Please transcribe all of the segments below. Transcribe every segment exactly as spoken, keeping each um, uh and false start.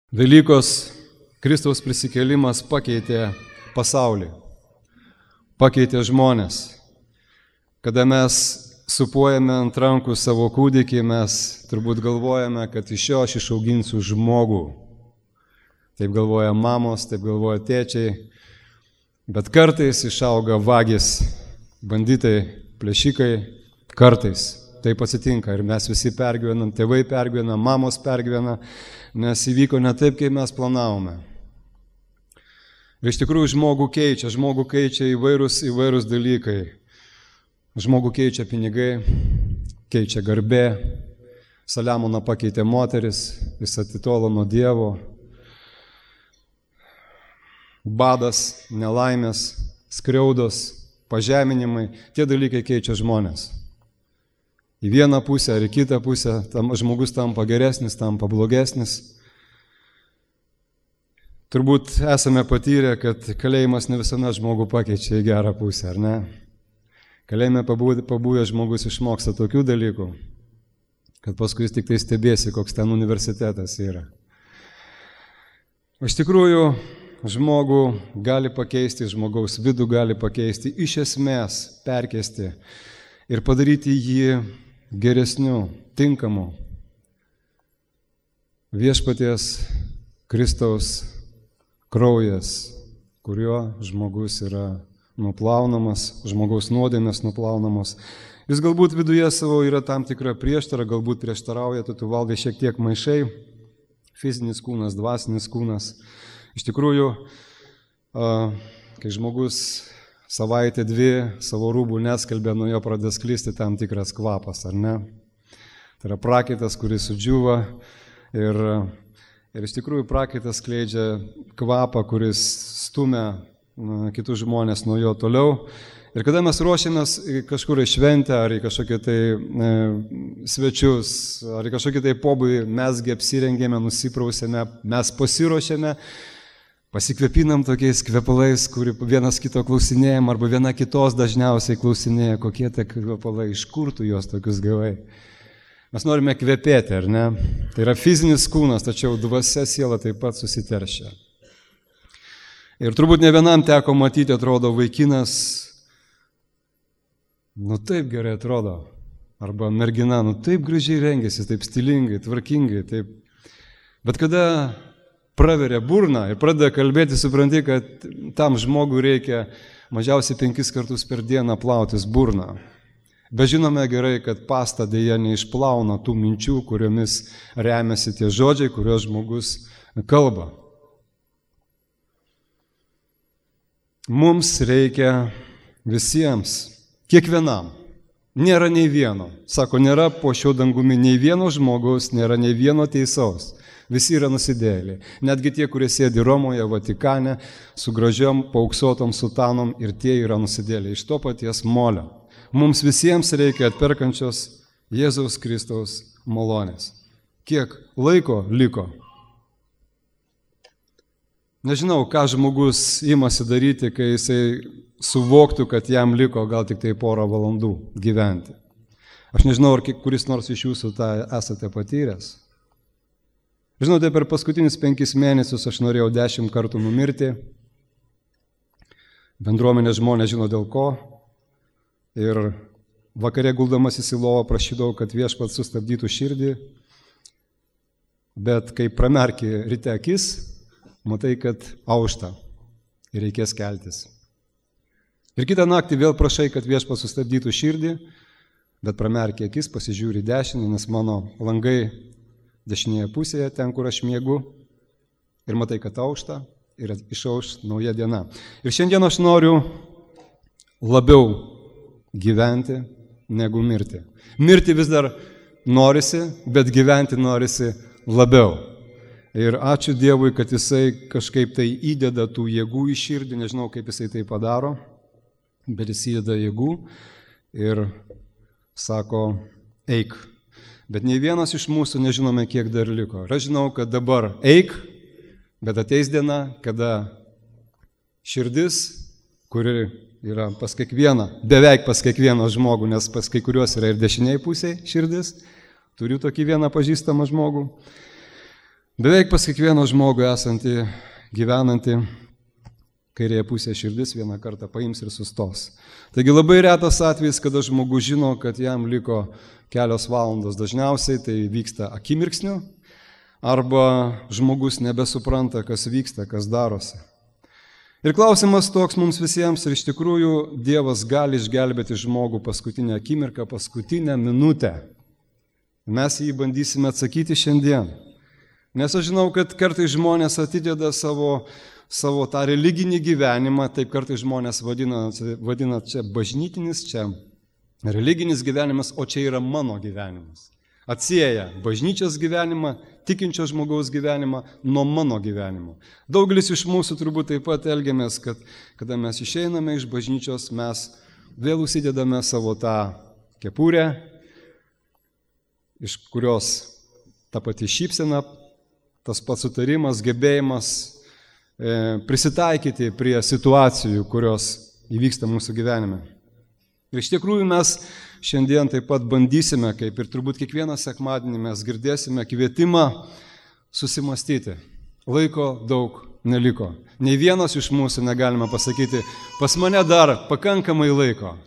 Velykos Kristaus prisikėlimas pakeitė pasaulį, pakeitė žmonės. Kada mes supuojame ant rankų savo kūdikį, mes turbūt galvojame, kad iš jo aš išauginsiu žmogų. Taip galvoja mamos, taip galvoja tėčiai, bet kartais išauga vagys, banditai, plėšikai, kartais. Taip atsitinka ir mes visi pergyvenam, tėvai pergyvena, mamos pergyvena, nes įvyko ne taip, kaip mes planavome. Ir iš tikrųjų žmogų keičia, žmogų keičia įvairūs, įvairūs dalykai. Žmogų keičia pinigai, keičia garbė, Saliamoną pakeitė moteris, jis atitolo nuo Dievo. Badas, nelaimės, skriaudos, pažeminimai, tie dalykai keičia žmonės. Į vieną pusę ar į kitą pusę tam žmogus tampa geresnis, tampa blogesnis. Turbūt esame patyrę, kad kalėjimas ne visuomet žmogų pakeičia į gerą pusę, ar ne? Kalėjime pabuvęs žmogus išmoksta tokių dalykų, kad paskui jis tik tai stebėsi, koks ten universitetas yra. Iš tikrųjų, žmogų gali pakeisti, žmogaus vidų gali pakeisti, iš esmės perkeisti ir padaryti jį geresniu, tinkamu. Viešpaties Kristaus kraujas, kuriuo žmogus yra nuplaunamas, žmogaus nuodėmės nuplaunamos. Jis galbūt viduje savo yra tam tikra prieštara, galbūt prieštarauja, tu, tu valgai šiek tiek maišai, fizinis kūnas, dvasinis kūnas. Iš tikrųjų, kai žmogus savaitę dvi savo rūbų neskalbė, nuo jo pradės sklisti tam tikras kvapas, ar ne? Tai yra prakaitas, kuris sudžiūva ir, ir iš tikrųjų prakaitas skleidžia kvapą, kuris stumia na, kitus žmonės nuo jo toliau. Ir kada mes ruošiamės kažkur į šventę, ar į kažkokį tai e, svečius, ar į kažkokį tai pobūdį, mesgi apsirengėme, nusiprausėme, mes pasiruošėme, pasikvepinam tokiais kvepalais, kur vienas kito klausinėjam, arba viena kitos dažniausiai klausinėja, kokie tai kvepalai, iš kur tu juos tokius gavai. Mes norime kvepėti, ar ne? Tai yra fizinis kūnas, tačiau dvasia siela taip pat susiteršia. Ir turbūt ne vienam teko matyti, atrodo, vaikinas, nu taip gerai atrodo, arba mergina, nu taip gražiai rengiasi, taip stilingai, tvarkingai, taip. Bet kada praveria burną ir pradeda kalbėti, supranti, kad tam žmogui reikia mažiausiai penkis kartus per dieną plautis burną. Bet žinome gerai, kad pasta dėja neišplauna tų minčių, kuriomis remiasi tie žodžiai, kuriuos žmogus kalba. Mums reikia visiems, kiekvienam. Nėra nei vieno. Sako, nėra po šio dangumi nei vieno žmogaus, nėra nei vieno teisaus. Visi yra nusidėjėliai. Netgi tie, kurie sėdi Romoje, Vatikane, su gražiom paauksuotom sutanom, ir tie yra nusidėjėliai iš to paties molio. Mums visiems reikia atperkančios Jėzaus Kristaus malonės. Kiek laiko liko? Nežinau, ką žmogus imasi daryti, kai jisai suvoktų, kad jam liko gal tik tai porą valandų gyventi. Aš nežinau, ar kuris nors iš jūsų tą esate patyręs. Žinote, per paskutinius penkis mėnesius aš norėjau dešimt kartų numirti. Bendruomenės žmonės žino dėl ko. Ir vakare guldamasis į lovą prašydavau, kad viešpats sustabdytų širdį. Bet kai pramerki ryte akis, matai, kad aušta ir reikės keltis. Ir kitą naktį vėl prašai, kad viešpats sustabdytų širdį, bet pramerki akis, pasižiūri dešinį, nes mano langai dešinėje pusėje, ten, kur aš miegu, ir matai, kad aušta ir išauš nauja diena. Ir šiandien aš noriu labiau gyventi negu mirti. Mirti vis dar norisi, bet gyventi norisi labiau. Ir ačiū Dievui, kad jisai kažkaip tai įdeda tų jėgų į širdį, nežinau, kaip jisai tai padaro, bet jis įdeda jėgų ir sako, eik. Bet nei vienas iš mūsų nežinome, kiek dar liko. Ir aš žinau, kad dabar eik, bet ateis diena, kada širdis, kuri yra pas kiekvieną, beveik pas kiekvieną žmogų, nes pas kai kuriuos yra ir dešiniai pusiai širdis, turiu tokį vieną pažįstamą žmogų, Beveik pas kiekvieno žmogų esantį, gyvenantį, kairėje pusėje širdis vieną kartą paims ir sustos. Taigi labai retas atvejis, kada žmogus žino, kad jam liko kelios valandos. Dažniausiai tai vyksta akimirksniu, arba žmogus nebesupranta, kas vyksta, kas darosi. Ir klausimas toks mums visiems, ir iš tikrųjų Dievas gali išgelbėti žmogų paskutinę akimirką, paskutinę minutę. Mes jį bandysime atsakyti šiandien. Nes aš žinau, kad kartais žmonės atideda savo, savo tą religinį gyvenimą, taip kartais žmonės vadina, vadina čia bažnytinis, čia religinis gyvenimas, o čia yra mano gyvenimas. Atsieja bažnyčios gyvenimą, tikinčio žmogaus gyvenimą nuo mano gyvenimo. Daugelis iš mūsų turbūt taip pat elgiamės, kad kada mes išeiname iš bažnyčios, mes vėl užsidedame savo tą kepurę, iš kurios ta pati šypsena, tas pats sutarimas, gebėjimas e, prisitaikyti prie situacijų, kurios įvyksta mūsų gyvenime. Ir iš tikrųjų mes šiandien taip pat bandysime, kaip ir turbūt kiekvieną sekmadienį mes girdėsime kvietimą susimastyti. Laiko daug neliko. Nei vienas iš mūsų negalime pasakyti, pas mane dar pakankamai laiko.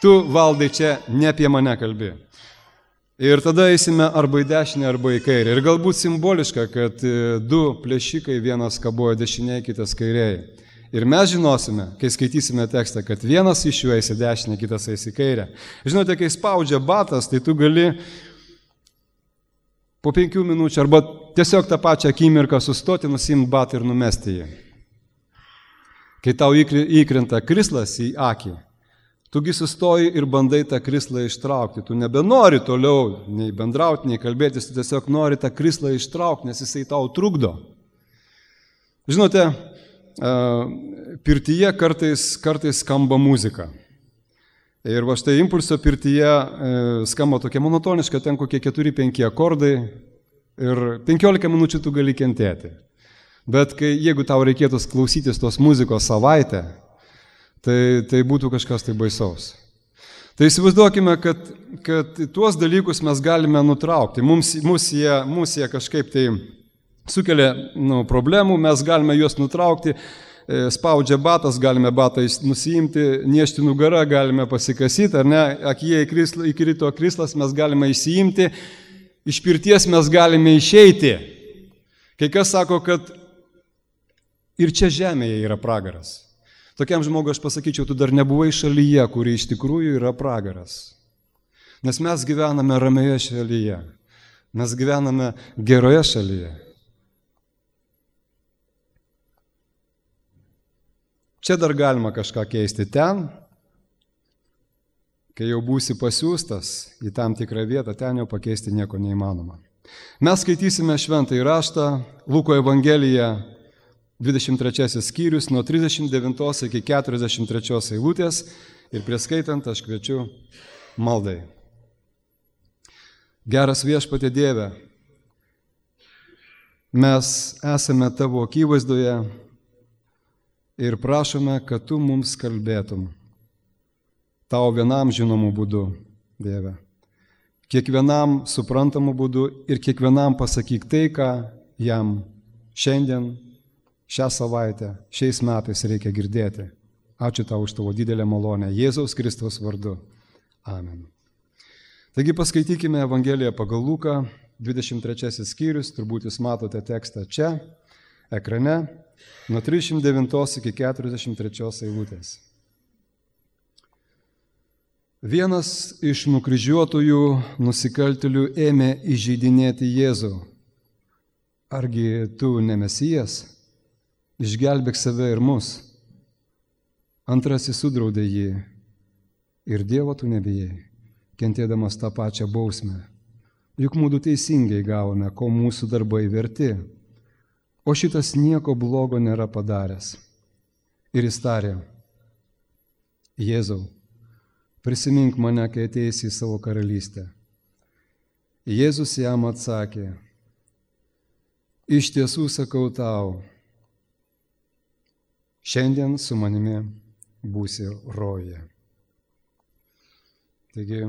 Tu, Valdai, čia ne apie mane kalbi. Ir tada eisime arba į dešinę, arba į kairę. Ir galbūt simboliška, kad du plėšikai, vienas kabojo dešinėje, kitas kairėje. Ir mes žinosime, kai skaitysime tekstą, kad vienas iš jų eis į dešinę, kitas eis į kairę. Žinote, kai spaudžia batas, tai tu gali po penkių minučių arba tiesiog tą pačią akimirką sustoti, nusimti batą ir numesti jį. Kai tau įkrenta krislas į akį, tugi sustoji ir bandai tą krislą ištraukti. Tu nebenori toliau nei bendrauti, nei kalbėtis, tu tiesiog nori tą krislą ištraukti, nes jisai tau trukdo. Žinote, pirtyje kartais, kartais skamba muzika. Ir va štai impulso pirtyje skamba tokia monotoniška, ten kokie keturi penki akordai ir penkiolika minučių tu gali kentėti. Bet kai, jeigu tau reikėtų klausytis tos muzikos savaitę, tai, tai būtų kažkas tai baisaus. Tai įsivaizduokime, kad, kad tuos dalykus mes galime nutraukti. Mums, mums, jie, mums jie kažkaip tai sukelia nu, problemų, mes galime juos nutraukti, spaudžia batas, galime batą nusiimti, niešti nugarą, galime pasikasyti, ar ne, akyje įkrito krislas, mes galime išsiimti, iš pirties mes galime išeiti. Kai kas sako, kad ir čia žemėje yra pragaras. Tokiam žmogui aš pasakyčiau, tu dar nebuvai šalyje, kuri iš tikrųjų yra pragaras. Nes mes gyvename ramioje šalyje, mes gyvename geroje šalyje. Čia dar galima kažką keisti ten, kai jau būsi pasiūstas į tam tikrą vietą, ten jau pakeisti nieko neįmanoma. Mes skaitysime šventąjį raštą, Luko Evangeliją, dvidešimt trečiasis skyrius, nuo trisdešimt devintos iki keturiasdešimt trečios eilutės ir prieskaitant aš kviečiu maldai. Geras Viešpatie Dieve, mes esame tavo akivaizdoje, ir prašome, kad tu mums kalbėtum tau vienam žinomų būdų, Dieve. Kiekvienam suprantamų būdų ir kiekvienam pasakyk tai, ką jam šiandien, šią savaitę, šiais metais reikia girdėti. Ačiū tau už tavo didelę malonę. Jėzaus Kristaus vardu. Amen. Taigi paskaitykime Evangeliją pagal Luką, dvidešimt trečiasis skyrius, turbūt jūs matote tekstą čia, ekrane. Nuo trisdešimt devintos iki keturiasdešimt trečios eilutės. Vienas iš nukryžiuotųjų nusikaltėlių ėmė įžeidinėti Jėzų. Argi tu ne Mesijas? Išgelbėk save ir mus. Antrasis sudraudė jį. Ir Dievo tu nebijai, kentėdamas tą pačią bausmę. Juk mūdu teisingai gavome, ko mūsų darbai verti. O šitas nieko blogo nėra padaręs. Ir jis tarė, Jėzau, prisimink mane, kai ateisi į savo karalystę. Jėzus jam atsakė, iš tiesų sakau tau, šiandien su manimi būsi rojuje. Taigi,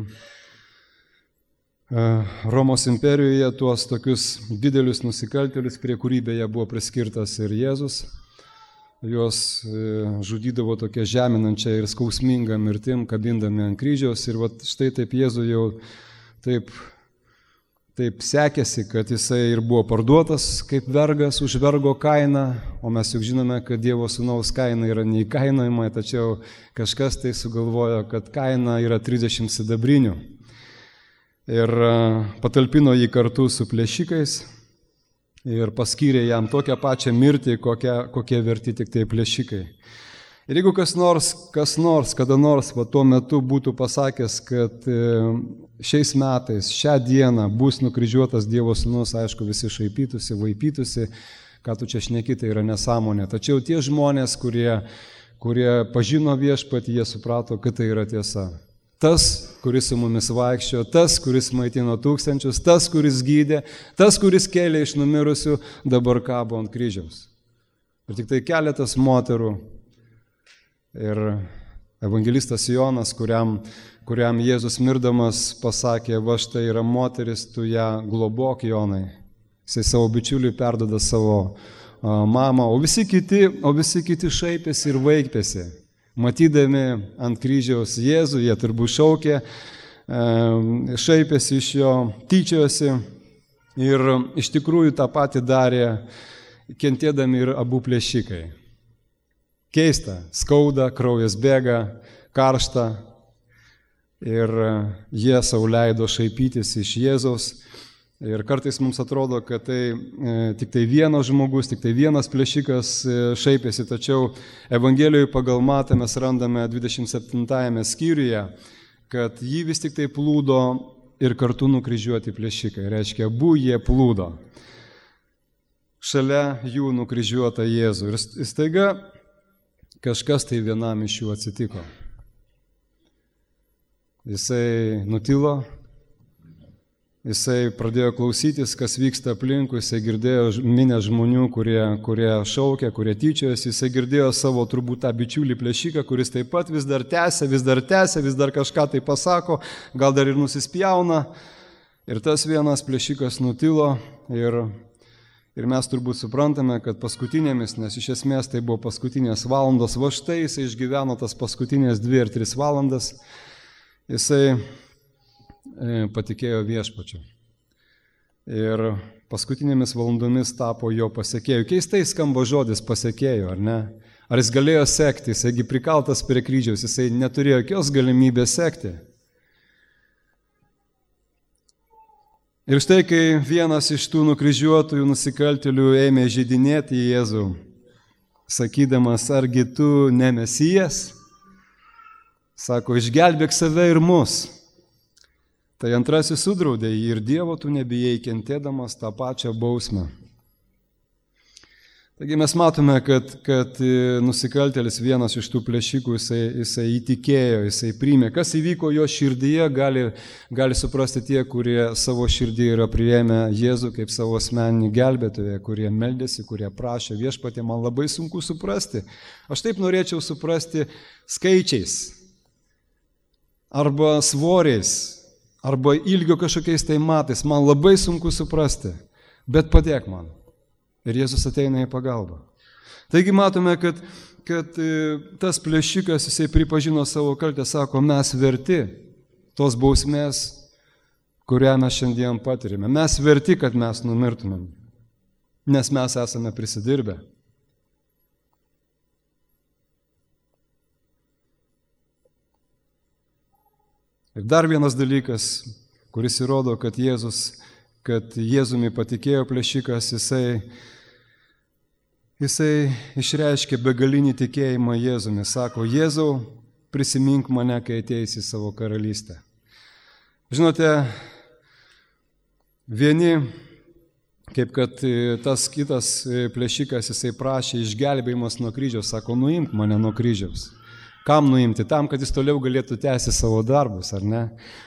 Romos imperijoje tuos tokius didelius nusikaltėlius, prie kurių beje buvo priskirtas ir Jėzus. Juos žudydavo tokia žeminančia ir skausminga mirtim, kabindami ant kryžiaus. Ir vat štai taip Jėzų jau taip, taip sekėsi, kad jisai ir buvo parduotas kaip vergas už vergo kainą, o mes juk žinome, kad Dievo sūnaus kaina yra neįkainojama, tačiau kažkas tai sugalvojo, kad kaina yra trisdešimt sidabrinių. Ir patalpino jį kartu su plėšikais ir paskyrė jam tokią pačią mirtį, kokie, kokie verti tik tai plėšikai. Ir jeigu kas nors, kas nors, kada nors va, tuo metu būtų pasakęs, kad šiais metais, šią dieną bus nukryžiuotas Dievo sūnus, aišku, visi šaipytųsi, vaipytųsi, ką tu čia šneki, tai yra nesąmonė. Tačiau tie žmonės, kurie, kurie pažino Viešpatį, jie suprato, kad tai yra tiesa. Tas, kuris su mumis vaikščiojo, tas, kuris maitino tūkstančius, tas, kuris gydė, tas, kuris kėlė iš numirusių, dabar kabo ant kryžiaus. Ir tik tai keletas moterų ir evangelistas Jonas, kuriam, kuriam Jėzus mirdamas pasakė, va štai yra moteris, tu ją globok, Jonai. Jisai savo bičiuliui perdoda savo a, mamą, o visi kiti, o visi kiti šaipėsi ir vaikpėsi. Matydami ant kryžiaus Jėzų, jie turbūt šaukė, šaipėsi iš jo, tyčiojosi ir iš tikrųjų tą patį darė, kentėdami ir abu plėšikai. Keista, skauda, kraujas bėga, karšta ir jie sau leido šaipytis iš Jėzaus. Ir kartais mums atrodo, kad tai e, tik tai vienas žmogus, tik tai vienas plėšikas e, šaipėsi, tačiau Evangelijoje pagal Matą mes randame dvidešimt septintajame skyriuje, kad jį vis tik tai plūdo ir kartu nukryžiuoti plėšikai. Reiškia, abu jie plūdo. Šalia jų nukryžiuota Jėzų. Ir staiga kažkas tai vienam iš jų atsitiko. Jisai nutilo. Jisai pradėjo klausytis, kas vyksta aplinkui, jisai girdėjo minę žmonių, kurie, kurie šaukia, kurie tyčiojasi, jisai girdėjo savo turbūt tą bičiulį plėšiką, kuris taip pat vis dar tęsia, vis dar tęsia, vis dar kažką tai pasako, gal dar ir nusispjauna. Ir tas vienas plėšikas nutilo ir, ir mes turbūt suprantame, kad paskutinėmis, nes iš esmės tai buvo paskutinės valandos, va štai jisai išgyveno tas paskutinės dvi ar tris valandas, jisai patikėjo Viešpačiu. Ir paskutinėmis valandomis tapo jo pasekėjų. Keistai skamba žodis pasekėjų, ar ne? Ar jis galėjo sekti, jisai prikaltas prie kryžiaus, jisai neturėjo jokios galimybės sekti. Ir štai, kai vienas iš tų nukryžiuotųjų nusikaltėlių ėmė žydinėti Jėzų, sakydamas, argi tu ne Mesijas, sako, išgelbėk save ir mus. Tai antrasis sudraudė jį ir Dievo tu nebijai, kentėdamas tą pačią bausmę. Taigi mes matome, kad, kad nusikaltėlis vienas iš tų plėšikų, jisai, jisai įtikėjo, jisai priėmė. Kas įvyko jo širdyje, gali, gali suprasti tie, kurie savo širdyje yra priėmę Jėzų kaip savo asmeninį gelbėtoją, kurie meldėsi, kurie prašė Viešpatie, man labai sunku suprasti. Aš taip norėčiau suprasti skaičiais arba svoriais, arba ilgio kažkokiais tai matais, man labai sunku suprasti, bet padėk man. Ir Jėzus ateina į pagalbą. Taigi matome, kad, kad tas plėšikas, jisai pripažino savo kaltę, sako, mes verti tos bausmės, kurią mes šiandien patirime. Mes verti, kad mes numirtumėm, nes mes esame prisidirbę. Ir dar vienas dalykas, kuris įrodo, kad Jėzus, kad Jėzumi patikėjo plėšikas, jisai, jisai išreiškė begalinį tikėjimą Jėzumi. Sako, Jėzau, prisimink mane, kai ateisi į savo karalystę. Žinote, vieni, kaip kad tas kitas plėšikas, jisai prašė išgelbėjimas nuo kryžiaus, sako, nuimk mane nuo kryžiaus. Kam nuimti? Tam, kad jis toliau galėtų tęsti savo darbus, ar ne?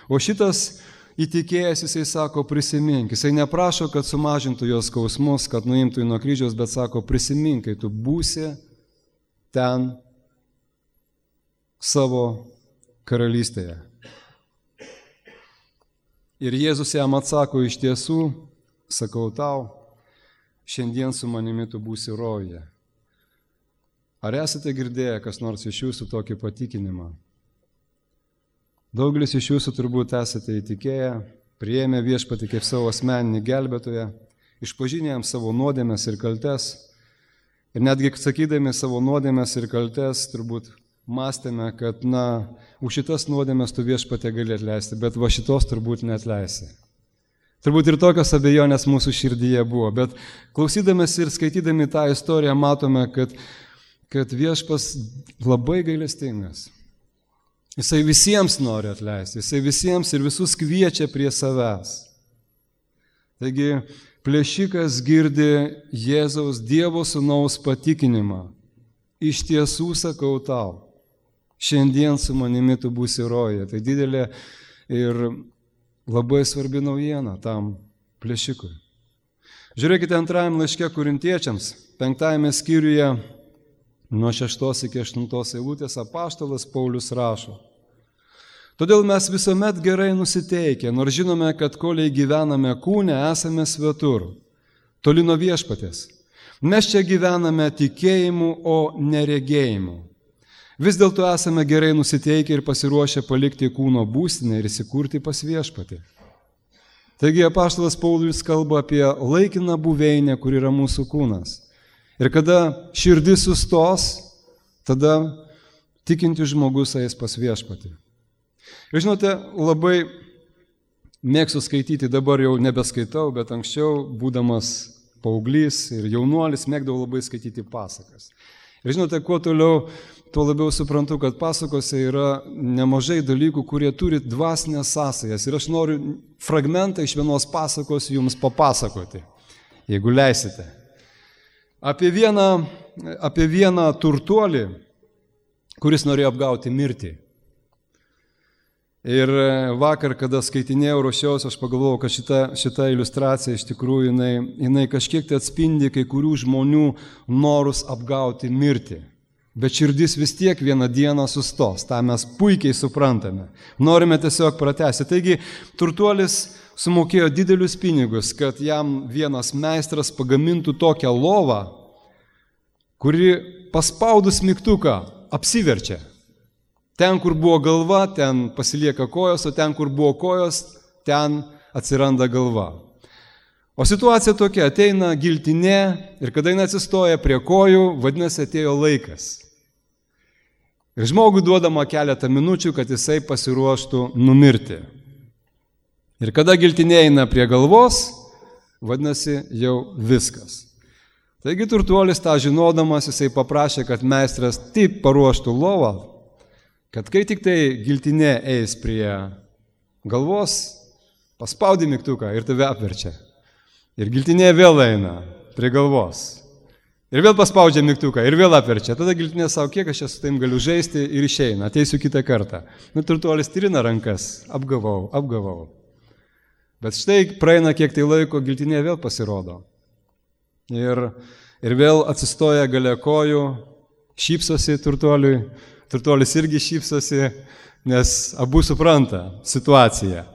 O šitas įtikėjęs, jisai sako, prisimink. Jisai neprašo, kad sumažintų jos skausmus, kad nuimtų jį nuo kryžiaus, bet sako, prisimink, kai tu būsi ten savo karalystėje. Ir Jėzus jam atsako, iš tiesų, sakau tau, šiandien su manimi tu būsi rojuje. Ar esate girdėję, kas nors iš jūsų tokį patikinimą? Daugelis iš jūsų turbūt esate įtikėję, priėmę viešpatį kaip savo asmeninį gelbėtoją, išpažinę jam savo nuodėmes ir kaltes. Ir netgi sakydami savo nuodėmes ir kaltes, turbūt mąstėme, kad, na, už šitas nuodėmes tu viešpatė gali atleisti, bet va šitos turbūt neatleisi. Turbūt ir tokios abejonės mūsų širdyje buvo, bet klausydamės ir skaitydami tą istoriją matome, kad, kad viešpas labai gailestingas. Jisai visiems nori atleisti, jisai visiems ir visus kviečia prie savęs. Taigi, plėšikas girdi Jėzaus Dievo Sūnaus patikinimą. Iš tiesų sakau tau, šiandien su manimi tu būsi rojuje. Tai didelė ir labai svarbi naujiena tam plėšikui. Žiūrėkite antrajame laiške Korintiečiams, penktajame skyriuje, nuo šeštos iki aštuntos eilutės apaštalas Paulius rašo. Todėl mes visuomet gerai nusiteikę, nors žinome, kad koliai gyvename kūne, esame svetur, toli nuo viešpatės. Mes čia gyvename tikėjimu, o neregėjimu. Vis dėlto esame gerai nusiteikę ir pasiruošę palikti kūno būstinę ir įsikurti pas viešpatį. Taigi apaštalas Paulius kalba apie laikiną buveinę, kur yra mūsų kūnas. Ir kada širdis sustos, tada tikintis žmogus eis pas viešpatį. Ir žinote, labai mėgstu skaityti, dabar jau nebeskaitau, bet anksčiau, būdamas paauglys ir jaunuolis, mėgdavau labai skaityti pasakas. Ir žinote, kuo toliau, tuo labiau suprantu, kad pasakose yra nemažai dalykų, kurie turi dvasinės sąsajas. Ir aš noriu fragmentą iš vienos pasakos jums papasakoti, jeigu leisite. Apie vieną, apie vieną turtuolį, kuris norėjo apgauti mirtį. Ir vakar, kada skaitinėjau, ruošiausi, aš pagalvojau, kad šita, šita iliustracija iš tikrųjų jinai, jinai kažkiek tai atspindi kai kurių žmonių norus apgauti mirtį. Bet širdis vis tiek vieną dieną sustos, tą mes puikiai suprantame. Norime tiesiog pratęsti. Taigi, turtuolis sumokėjo didelius pinigus, kad jam vienas meistras pagamintų tokią lovą, kuri paspaudus mygtuką apsiverčia. Ten, kur buvo galva, ten pasilieka kojos, o ten, kur buvo kojos, ten atsiranda galva. O situacija tokia, ateina giltinė ir kada jinai atsistoja prie kojų, vadinasi, atėjo laikas. Ir žmogui duodama keletą minučių, kad jisai pasiruoštų numirti. Ir kada giltinė eina prie galvos, vadinasi, jau viskas. Taigi turtuolis tą žinodamas, jisai paprašė, kad meistras taip paruoštų lovą, kad kai tik tai giltinė eis prie galvos, paspaudi mygtuką ir tave apverčia. Ir giltinė vėl eina prie galvos. Ir vėl paspaudžia mygtuką ir vėl apverčia. Tada giltinė savo, kiek aš su taim galiu žaisti ir išeina, ateisiu kitą kartą. Nu, turtuolis trina rankas, apgavau, apgavau. Bet štai praeina kiek tai laiko, giltinė vėl pasirodo. Ir, ir vėl atsistoja gale kojų, šypsosi turtuoliui. Turtuolis irgi šypsosi, nes abu supranta situaciją.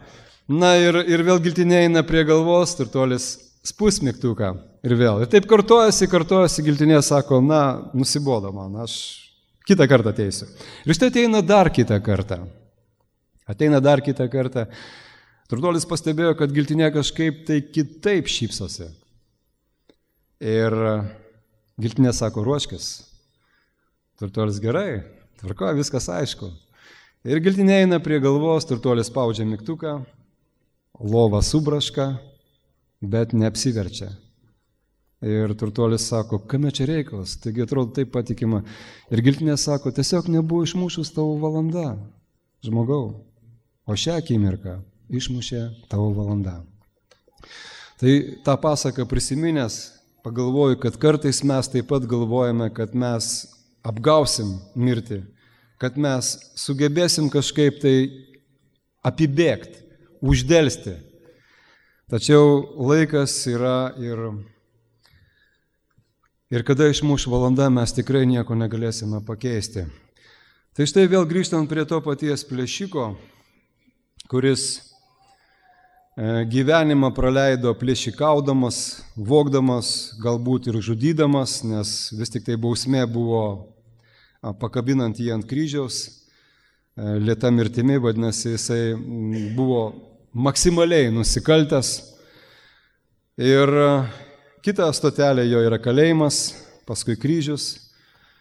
Na ir, ir vėl giltinė eina prie galvos, turtuolis spus mygtuką ir vėl. Ir taip kartojasi, kartojasi, giltinė sako, na, nusibodo man, aš kitą kartą ateisiu. Ir štai ateina dar kitą kartą. Ateina dar kitą kartą. Turtuolis pastebėjo, kad giltinė kažkaip tai kitaip šypsosi. Ir giltinė sako, ruoškis. Turtuolis gerai. Tvarko, viskas aišku. Ir giltinė eina prie galvos, turtuolis spaudžia mygtuką, lova subraška, bet neapsiverčia. Ir turtuolis sako, kame čia reikalas, taigi atrodo taip patikima. Ir giltinė sako, tiesiog nebuvo išmušus tavo valanda, žmogau, o šią akimirką išmušė tavo valanda. Tai tą pasaką prisiminęs, pagalvoju, kad kartais mes taip pat galvojame, kad mes apgausim mirtį, kad mes sugebėsim kažkaip tai apibėgti, uždelsti. Tačiau laikas yra ir, ir kada išmuš valanda, mes tikrai nieko negalėsime pakeisti. Tai štai vėl grįžtant prie to paties plėšiko, kuris gyvenimą praleido plėšikaudamas, vogdamas, galbūt ir žudydamas, nes vis tik tai bausmė buvo pakabinant jį ant kryžiaus, lėta mirtimi, vadinasi, jisai buvo maksimaliai nusikaltęs. Ir kita stotelė jo yra kalėjimas, paskui kryžius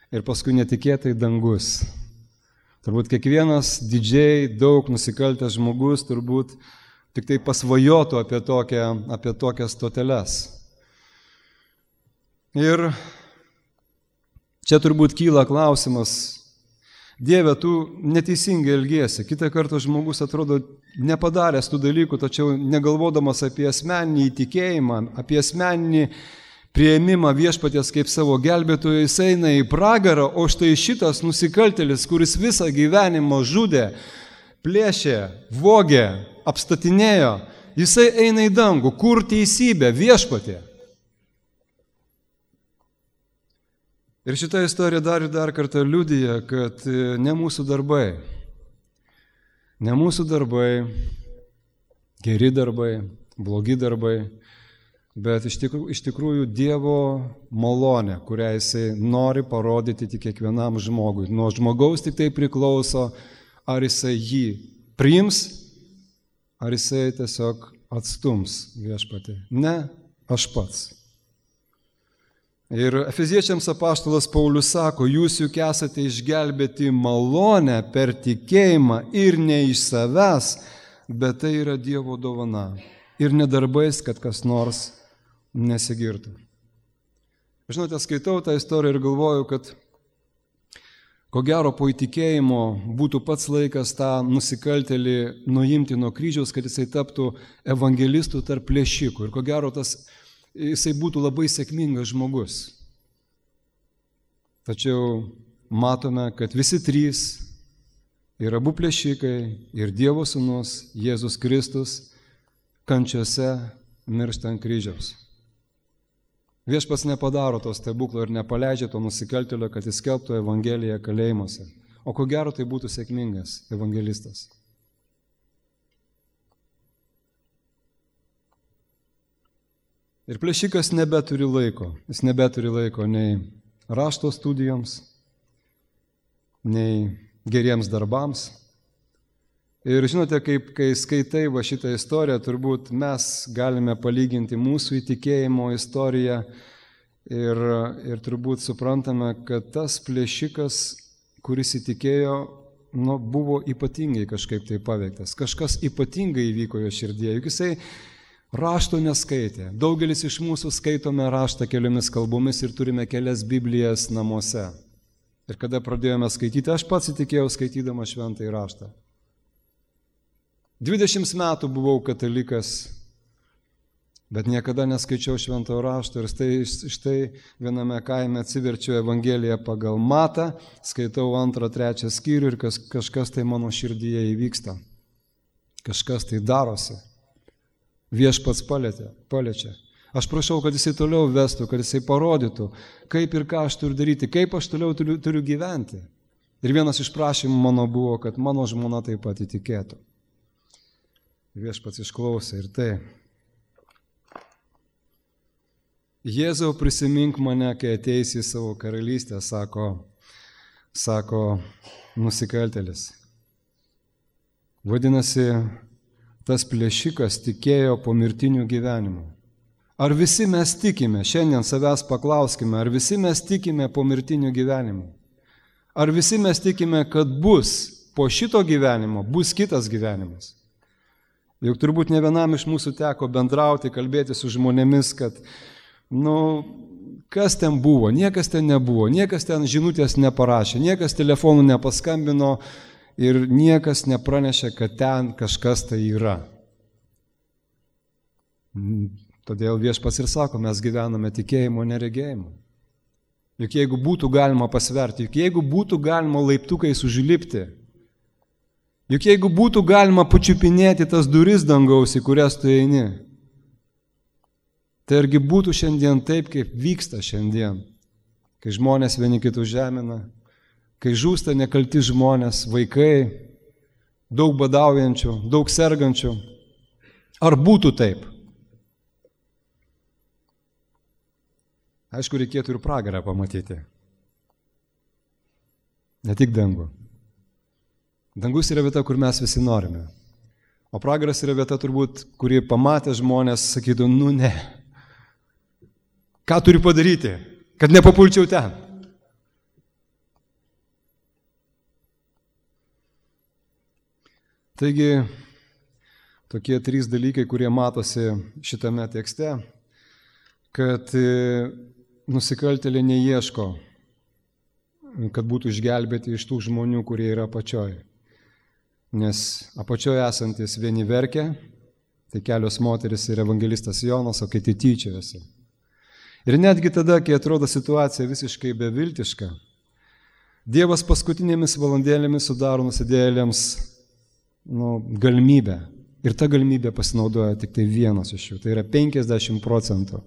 ir paskui netikėtai dangus. Turbūt kiekvienas didžiai daug nusikaltęs žmogus turbūt tik tai pasvajotų apie, tokią, apie tokias stoteles. Ir čia turbūt kyla klausimas, Dieve, tu neteisingai elgiesi. Kitą kartą žmogus atrodo nepadaręs tų dalykų, tačiau negalvodamas apie asmeninį įtikėjimą, apie asmeninį priėmimą viešpaties kaip savo gelbėtojo, jis eina į pragarą, o štai šitas nusikaltėlis, kuris visą gyvenimą žudė, plėšė, vogė, apstatinėjo, jisai eina į dangų. Kur teisybė? Viešpatie. Ir šitą istoriją dar ir dar kartą liudija, kad ne mūsų darbai, ne mūsų darbai, geri darbai, blogi darbai, bet iš tikrųjų, iš tikrųjų Dievo malonė, kurią jisai nori parodyti tik kiekvienam žmogui. Nuo žmogaus tik tai priklauso, ar jisai jį priims, ar jisai tiesiog atstums viešpatį. Ne, aš pats. Ir Efeziečiams apaštalas Paulius sako, jūs juk esate išgelbėti malonę per tikėjimą ir ne iš savęs, bet tai yra Dievo dovana. Ir ne darbais, kad kas nors nesigirtų. Žinote, skaitau tą istoriją ir galvoju, kad ko gero po įtikėjimo būtų pats laikas tą nusikaltėlį nuimti nuo kryžiaus, kad jisai taptų evangelistų tarp plėšikų. Ir ko gero tas jisai būtų labai sėkmingas žmogus. Tačiau matome, kad visi trys, ir abu plėšikai, ir Dievo sūnus, Jėzus Kristus, kančiose miršta ant kryžiaus. Viešpats nepadaro to stebuklo ir nepaleidžia to nusikaltėlio, kad jis skelbtų evangeliją kalėjimuose. O ko gero tai būtų sėkmingas evangelistas. Ir plėšikas nebeturi laiko, jis nebeturi laiko nei rašto studijoms, nei geriems darbams. Ir žinote, kaip, kai skaitai va šitą istoriją, turbūt mes galime palyginti mūsų įtikėjimo istoriją ir, ir turbūt suprantame, kad tas plėšikas, kuris įtikėjo, nu, buvo ypatingai kažkaip tai paveiktas. Kažkas ypatingai įvyko jo širdėje, juk jisai rašto neskaitė. Daugelis iš mūsų skaitome raštą keliomis kalbomis ir turime kelias Biblijas namuose. Ir kada pradėjome skaityti, aš pats įtikėjau skaitydama šventąjį raštą. dvidešimt metų buvau katalikas, bet niekada neskaičiau šventojo rašto ir štai, štai viename kaime atsiverčiu Evangeliją pagal Matą, skaitau antrą, trečią skyrių ir kas, kažkas tai mano širdyje įvyksta. Kažkas tai darosi. Viešpats palietė, paliečia. Aš prašau, kad jisai toliau vestų, kad jisai parodytų, kaip ir ką aš turiu daryti, kaip aš toliau turiu, turiu gyventi. Ir vienas iš prašymų mano buvo, kad mano žmona taip pat įtikėtų. Viešpats išklausė ir tai. Jėzau, prisimink mane, kai ateisi į savo karalystę, sako, sako nusikaltėlis. Vadinasi, tas plėšikas tikėjo pomirtiniu gyvenimu. Ar visi mes tikime, šiandien savęs paklauskime, ar visi mes tikime pomirtiniu gyvenimu? Ar visi mes tikime, kad bus po šito gyvenimo, bus kitas gyvenimas? Juk turbūt ne vienam iš mūsų teko bendrauti, kalbėti su žmonėmis, kad, nu, kas ten buvo, niekas ten nebuvo, niekas ten žinutės neparašė, niekas telefonu nepaskambino, ir niekas nepranešė, kad ten kažkas tai yra. Todėl Viešpats ir sako, mes gyvename tikėjimo neregėjimu. Juk jeigu būtų galima pasverti, juk jeigu būtų galima laiptukais užlipti, juk jeigu būtų galima pačiupinėti tas duris dangaus, į kurias tu eini, tai argi būtų šiandien taip, kaip vyksta šiandien, kai žmonės vieni kitus žemina, kai žūsta nekalti žmonės, vaikai, daug badaujančių, daug sergančių, Ar būtų taip? Aišku, reikėtų ir pragarą pamatyti. Ne tik dangų. Dangus yra vieta, kur mes visi norime. O pragaras yra vieta turbūt, kurį pamatę žmonės sakytų, nu ne. Ką turiu padaryti, kad nepapulčiau ten? Taigi, tokie trys dalykai, kurie matosi šitame tekste, kad nusikaltėliai neieško, kad būtų išgelbėti iš tų žmonių, kurie yra apačioj. Nes apačioje esantis vieni verkia, tai kelios moteris ir evangelistas Jonas, o kiti tyčiojasi. Ir netgi tada, kai atrodo situacija visiškai beviltiška, Dievas paskutinėmis valandėlėmis sudaro nusidėjėliams nu, galimybę. Ir ta galimybė pasinaudoja tik tai vienas iš jų, tai yra penkiasdešimt procentų.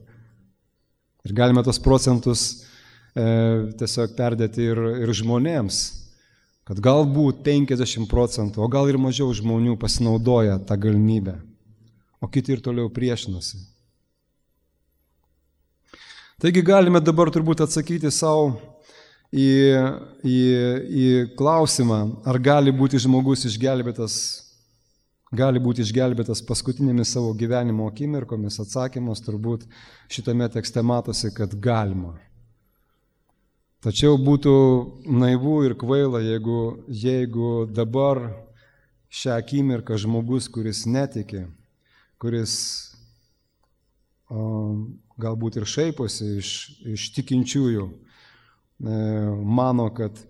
Ir galime tos procentus e, tiesiog perdėti ir, ir žmonėms, kad galbūt penkiasdešimt procentų, o gal ir mažiau žmonių pasinaudoja tą galimybę, o kiti ir toliau priešinasi. Taigi galime dabar turbūt atsakyti savo į, į, į klausimą, ar gali būti žmogus išgelbėtas, gali būti išgelbėtas paskutinėmis savo gyvenimo akimirkomis. Atsakymas turbūt šitame tekste matosi, kad galima. Tačiau būtų naivu ir kvaila, jeigu, jeigu dabar šią akimirką žmogus, kuris netiki, kuris o, galbūt ir šaiposi iš, iš tikinčiųjų, e, mano, kad,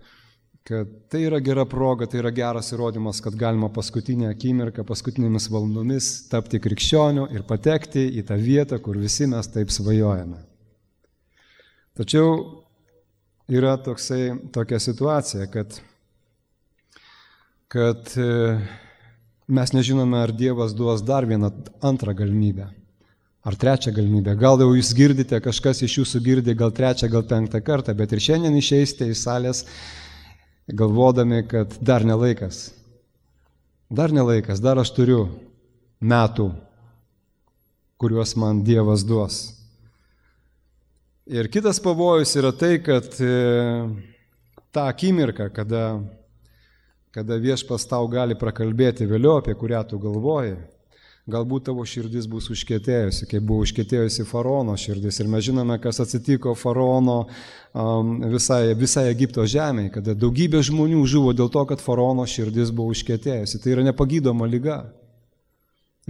kad tai yra gera proga, tai yra geras įrodymas, kad galima paskutinę akimirką, paskutinėmis valandomis tapti krikščioniu ir patekti į tą vietą, kur visi mes taip svajojame. Tačiau yra toksai, tokia situacija, kad, kad mes nežinome, ar Dievas duos dar vieną antrą galimybę, ar trečią galimybę. Gal jau jūs girdite, kažkas iš jūsų girdi, gal trečią, gal penktą kartą, bet ir šiandien išeisite iš salės galvodami, kad dar ne laikas. Dar ne laikas, dar aš turiu metų, kuriuos man Dievas duos. Ir kitas pavojus yra tai, kad tą akimirką, kada, kada viešpas tau gali prakalbėti vėliau, apie kurią tu galvoji, galbūt tavo širdis bus užkietėjusi, kaip buvo užkietėjusi faraono širdis. Ir mes žinome, kas atsitiko faraono um, visai, visai Egipto žemėje, kada daugybė žmonių žuvo dėl to, kad faraono širdis buvo užkietėjusi. Tai yra nepagydoma liga.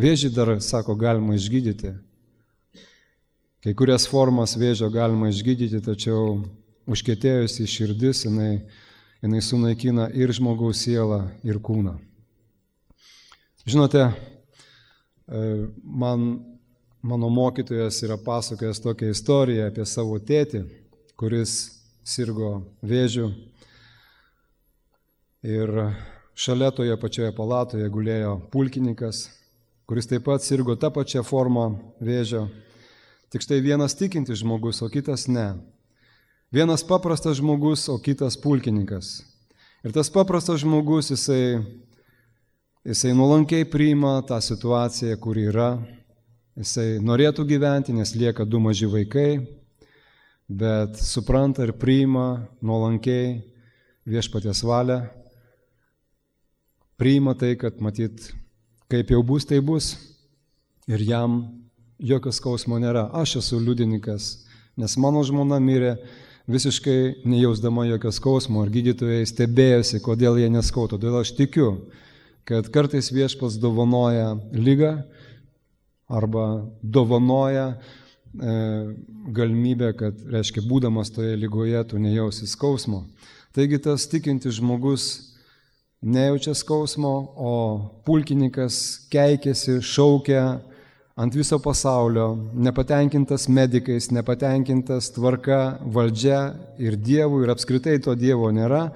Vėžį dar, sako, galima išgydyti. Kai kurias formas vėžio galima išgydyti, tačiau užkietėjusi širdis, jinai, jinai sunaikina ir žmogaus sielą, ir kūną. Žinote, man, mano mokytojas yra pasakojęs tokią istoriją apie savo tėtį, kuris sirgo vėžiu. Ir šalia toje pačioje palatoje gulėjo pulkininkas, kuris taip pat sirgo tą pačią formą vėžio. Tik štai vienas tikintis žmogus, o kitas ne. Vienas paprastas žmogus, o kitas pulkininkas. Ir tas paprastas žmogus, jisai, jisai nuolankiai priima tą situaciją, kur yra. Jisai norėtų gyventi, nes lieka du maži vaikai, bet supranta ir priima nuolankiai viešpaties valią. Priima tai, kad matyt, kaip jau bus, tai bus. Ir jam jokio skausmo nėra. Aš esu liudininkas, nes mano žmona mirė visiškai nejausdama jokio skausmo ir gydytojai stebėjosi, kodėl jie neskauto. Todėl aš tikiu, kad kartais viešpats dovanoja ligą arba dovanoja e, galimybę, kad, reiškia, būdamas toje ligoje, tu nejausi skausmo. Taigi tas tikintis žmogus nejaučia skausmo, o pulkininkas keikėsi, šaukia ant viso pasaulio, nepatenkintas medikais, nepatenkintas tvarka, valdžia ir Dievu, ir apskritai to Dievo nėra.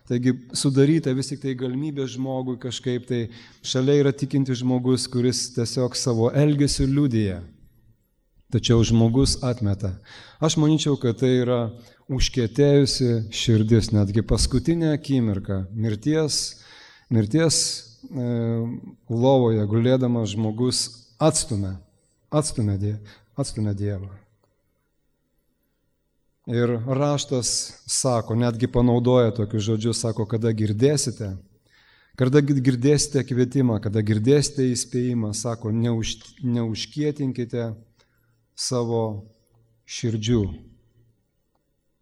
Taigi sudaryta vis tik tai galimybė žmogui kažkaip tai, šalia yra tikintis žmogus, kuris tiesiog savo elgesiu liudija. Tačiau žmogus atmeta. Aš manyčiau, kad tai yra užkietėjusi širdis, netgi paskutinė akimirka, mirties, mirties e, lovoje gulėdamas žmogus atstumia, atstumia, die, atstumia Dievą. Ir raštas sako, netgi panaudoja tokius žodžius, sako, kada girdėsite, kada girdėsite kvietimą, kada girdėsite įspėjimą, sako, neuž, neužkietinkite savo širdžių.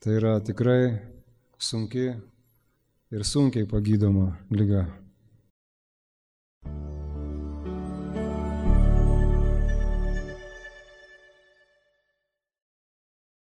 Tai yra tikrai sunki ir sunkiai pagydoma liga.